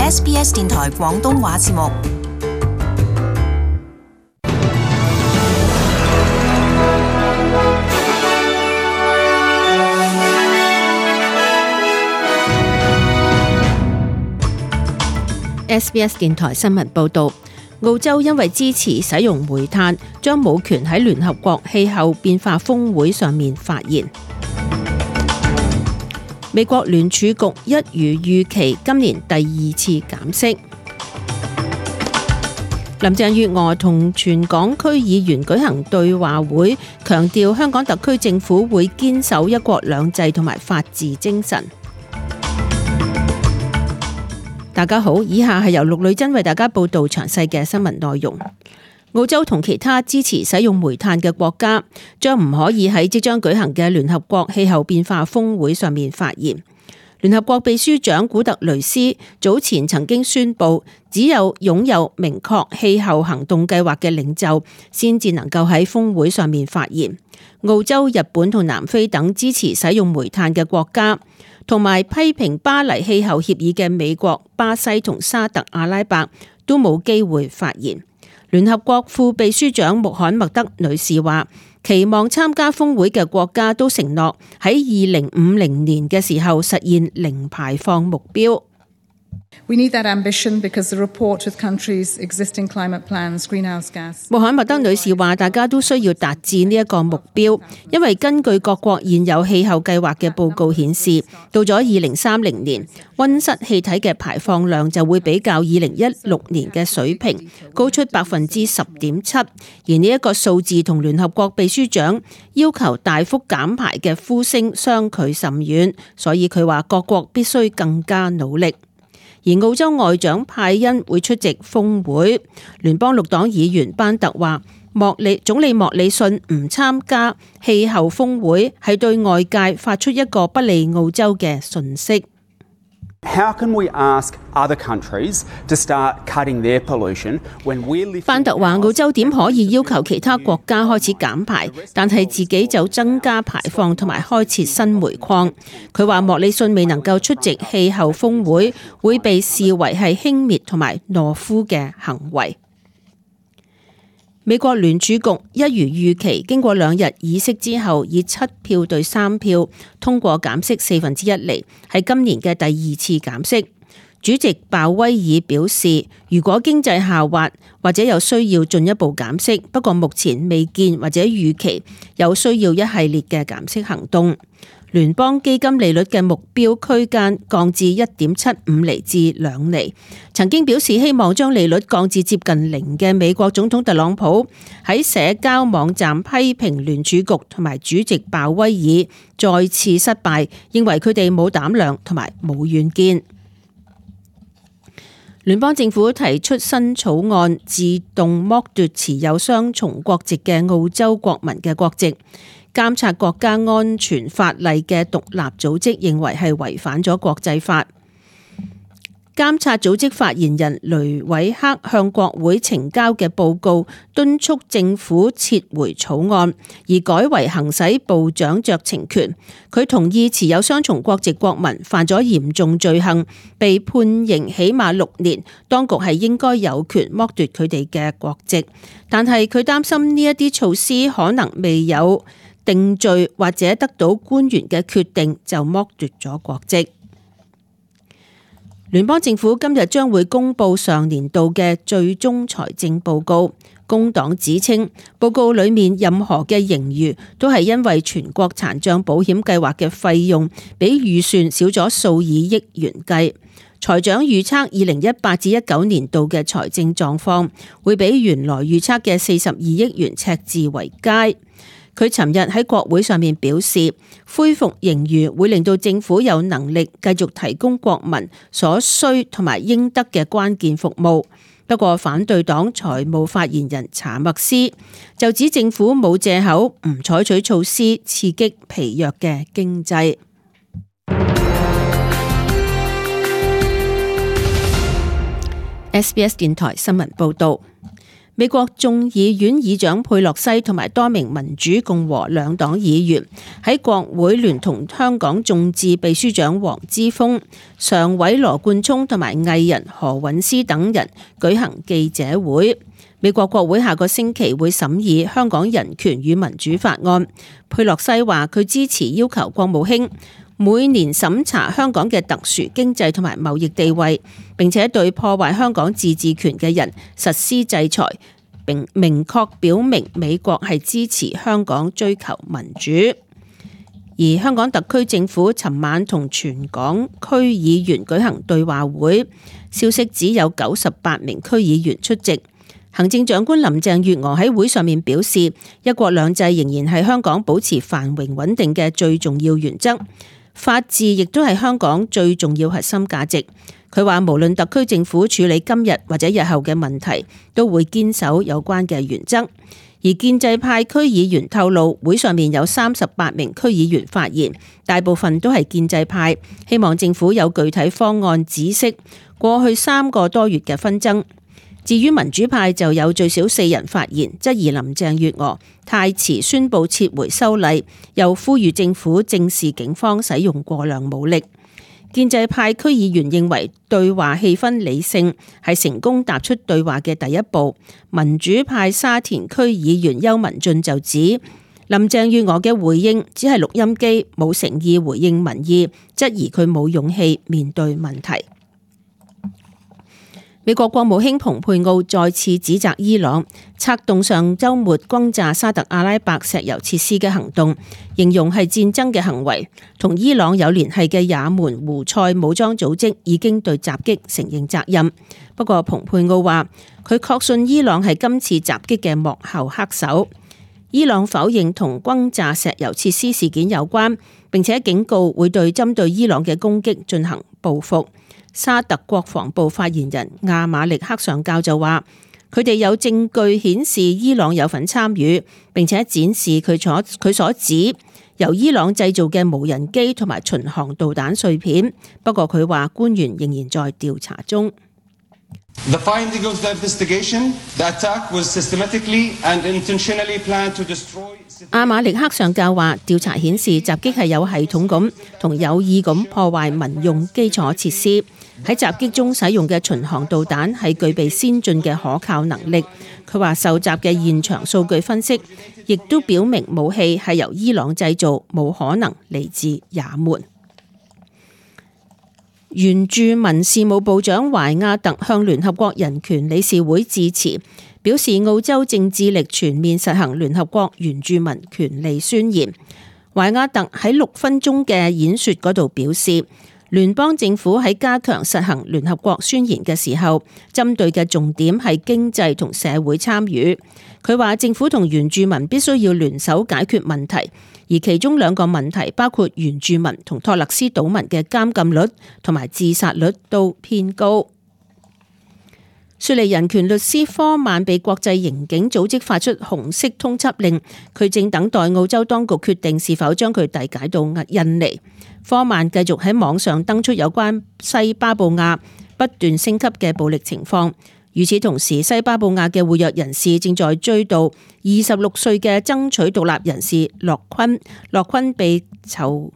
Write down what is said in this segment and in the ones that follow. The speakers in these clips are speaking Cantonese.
SBS 電台廣東話節目。SBS 電台新聞報導，澳洲因為支持使用煤炭，將冇權喺聯合國氣候變化峰會上面發言。美國聯儲局一如預期，今年第二次減息。林鄭月娥同全港區議員舉行對話會，強調香港特區政府會堅守一國兩制同埋法治精神。大家好，以下係由陸女珍為大家報道詳細嘅新聞內容。澳洲同其他支持使用煤炭嘅國家將唔可以喺即將舉行嘅聯合國氣候變化峰會上面發言。聯合國秘書長古特雷斯早前曾經宣布，只有擁有明確氣候行動計劃嘅領袖先至能夠喺峰會上面發言。澳洲、日本同南非等支持使用煤炭嘅國家，同埋批評巴黎氣候協議嘅美國、巴西同沙特阿拉伯都冇機會發言。聯合國副秘書長穆罕默德女士話，期望參加峰會嘅國家都承諾喺2050年嘅時候實現零排放目標。We need that ambition because the report with countries' existing climate plans, greenhouse gas. 穆罕默德女士話，大家都需要達至呢一個目標，因為根據各國現有氣候計劃嘅報告顯示，到咗2030年，溫室氣體嘅排放量就會比較2016年嘅水平高出10.7%，而呢一個數字同聯合國秘書長要求大幅減排嘅呼聲相距甚遠，所以佢話各國必須更加努力。而澳洲外長派恩會出席峰會。聯邦綠黨議員班特話，總理莫里遜唔參加氣候峰會係對外界發出一個不利澳洲嘅訊息。How can we ask other countries to start cutting their pollution when we're living? 班特話，澳洲點可以要求其他國家開始減排，但係自己就增加排放同埋開設新煤礦。佢話莫里遜未能夠出席氣候峰會，會被視為係輕蔑同埋懦夫嘅行為。美國聯儲局一如預期，經過2日議息之後，以7票對3票通過減息1/4厘，係今年嘅第二次減息。主席鮑威爾表示，如果經濟下滑，或者有需要進一步減息，不過目前未見或者預期有需要一系列嘅減息行動。聯邦基金利率嘅目標區間降至1.75厘至2厘。曾經表示希望將利率降至接近0嘅美國總統特朗普喺社交網站批評聯儲局同埋主席鮑威爾再次失敗，認為佢哋冇膽量同埋冇遠見。聯邦政府提出新草案，自動剝奪持有雙重國籍嘅澳洲國民嘅國籍。監察國家安全法例嘅獨立組織認為係違反咗國際法。監察組織發言人雷偉克向國會呈交嘅報告敦促政府撤回草案，而改為行使部長酌情權。佢同意持有雙重國籍國民犯咗嚴重罪行，被判刑起碼6年，當局係應該有權剝奪佢哋嘅國籍。但係佢擔心呢一啲措施可能未有定罪或者得到官員嘅決定就剝奪咗國籍。聯邦政府今日將會公布上年度嘅最終財政報告。工黨指稱報告裏面任何嘅盈餘都係因為全國殘障保險計劃嘅費用比預算少咗數以億元計。財長預測2018至19年度嘅財政狀況會比原來預測嘅42億元赤字為佳。佢尋日喺國會上面表示，恢復盈餘會令到政府有能力繼續提供國民所需同埋應得嘅關鍵服務。不過反對黨財務發言人查默斯就指政府冇藉口唔採取措施刺激疲弱嘅經濟。SBS 電台新聞報導。美國眾議院議長佩洛西同埋多名民主共和兩黨議員喺國會聯同香港眾志秘書長黃之鋒、常委羅冠聰同埋藝人何韻詩等人舉行記者會。美國國會下個星期會審議《香港人權與民主法案》。佩洛西話佢支持要求國務卿每年審查香港嘅特殊經濟同埋貿易地位，並且對破壞香港自治權嘅人實施制裁，並明確表明美國係支持香港追求民主。而香港特區政府尋晚同全港區議員舉行對話會，消息只有98名區議員出席。行政長官林鄭月娥喺會上面表示，一國兩制仍然係香港保持繁榮穩定嘅最重要原則，法治亦都係香港最重要核心價值。佢話無論特區政府處理今日或者日後嘅問題，都會堅守有關嘅原則。而建制派區議員透露，會上面有38名區議員發言，大部分都係建制派，希望政府有具體方案止息過去3個多月嘅紛爭。至於民主派就有最少4人發言，質疑林鄭月娥太遲宣布撤回修例，又呼籲政府正視警方使用過量武力。建制派區議員認為對話氣氛理性，係成功踏出對話嘅第一步。民主派沙田區議員邱文俊就指林鄭月娥嘅回應只係錄音機，冇誠意回應民意，質疑佢冇勇氣面對問題。美國國務卿蓬佩奧再次指責伊朗策動上週末轟炸沙特阿拉伯石油設施嘅行動，形容係戰爭嘅行為。同伊朗有聯繫嘅也門胡塞武裝組織已經對襲擊承認責任。不過蓬佩奧話，佢確信伊朗係今次襲擊嘅幕後黑手。伊朗否認同轟炸石油設施事件有關，並且警告會對針對伊朗嘅攻擊進行報復。沙特國防部發言人亞馬力克上校就話，佢哋有證據顯示伊朗有份參與，並且展示佢所指由伊朗製造嘅無人機同埋巡航導彈碎片。不過佢話官員仍然在調查中。The finding of the investigation, the attack was systematically and intentionally planned to destroy. 亞馬力克上校話，調查顯示襲擊係有系統咁同有意咁破壞民用基礎設施。喺襲擊中使用嘅巡航導彈係具備先進嘅可靠能力。佢話受襲嘅現場數據分析亦都表明武器係由伊朗製造，冇可能嚟自也門。原住民事務部長懷亞特向聯合國人權理事會致辭，表示澳洲正致力全面實行聯合國原住民權利宣言。懷亞特喺6分鐘嘅演說嗰度表示，聯邦政府喺加強實行聯合國宣言嘅時候，針對嘅重點係經濟同社會參與。佢話政府同原住民必須要聯手解決問題，而其中2個問題包括原住民同托勒斯島民嘅監禁率同埋自殺率都偏高。雪梨人權律師科曼被國際刑警組織發出紅色通緝令，佢正等待澳洲當局決定是否將佢遞解到印尼。科曼繼續喺網上登出有關西巴布亞不斷升級嘅暴力情況。與此同時，西巴布亞嘅活躍人士正在追悼26歲嘅爭取獨立人士洛昆。洛昆被囚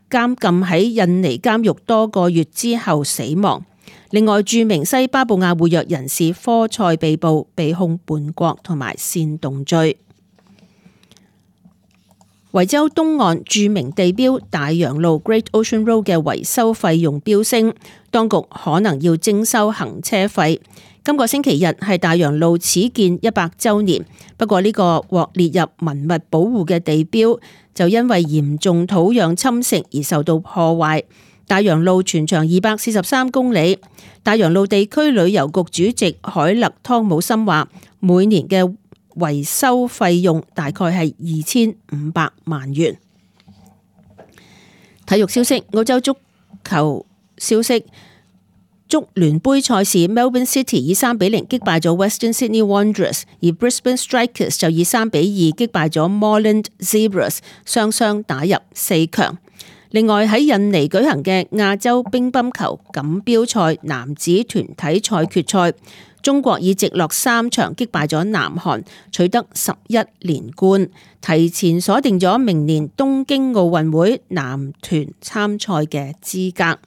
監禁喺印尼監獄多個月之後死亡。另外，著名西巴布亞活躍人士科塞被捕，被控叛國同埋煽動罪。維州東岸著名地標大洋路 Great Ocean Road 嘅維修費用飆升，當局可能要徵收行車費。今個星期日係大洋路始建100週年，不過呢個獲列入文物保護嘅地標就因為嚴重土壤侵蝕而受到破壞。大洋路全長243公里。大洋路地區旅遊局主席海勒湯姆森話，每年嘅維修費用大概係2500萬元。體育消息，澳洲足球消息，足聯杯賽事 Melbourne City 以3-0擊敗咗 Western Sydney Wanderers， 而 Brisbane Strikers 就以3-2擊敗咗 Moreland Zebras， 雙雙打入4強。另外喺印尼舉行嘅亞洲乒乓球錦標賽男子團體賽決賽，中國以直落3場擊敗咗南韓，取得11連冠，提前鎖定咗明年東京奧運會男團參賽嘅資格。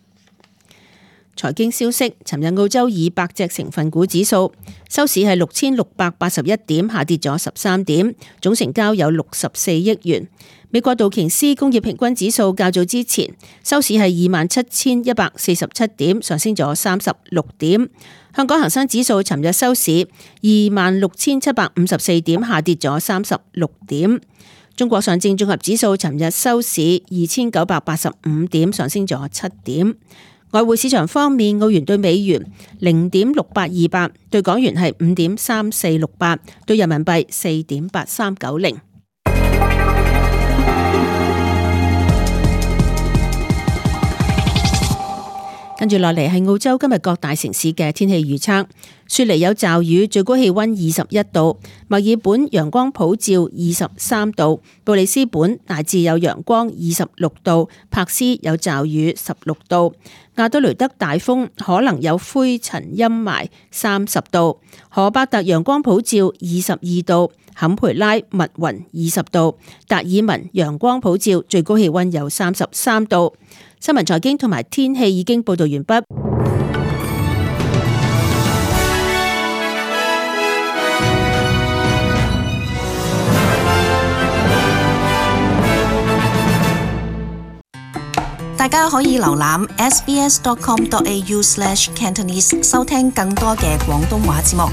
財經消息，尋日澳洲200隻成分股指數收市係6681點，下跌咗13點，總成交有64億元。美國道瓊斯工業平均指數較早之前收市係27,147點，上升咗36點。香港恒生指數尋日收市26,754點，下跌咗36點。中國上證綜合指數尋日收市2,985點，上升咗7點。外匯市場方面，澳元對美元0.6828，對港元係5.3468，對人民幣4.8390。跟住落嚟係澳洲今日各大城市嘅天氣預測。雪梨有驟雨，最高氣溫21度；墨爾本陽光普照23度；布里斯本大致有陽光26度；柏斯有驟雨16度；亞德雷德大風，可能有灰塵陰霾30度；荷伯特陽光普照22度；坎培拉密雲20度；達爾文陽光普照，最高氣溫有33度。新聞財經同埋天氣已經報道完畢。大家可以瀏覽 sbs.com.au/cantonese 收聽更多嘅廣東話節目。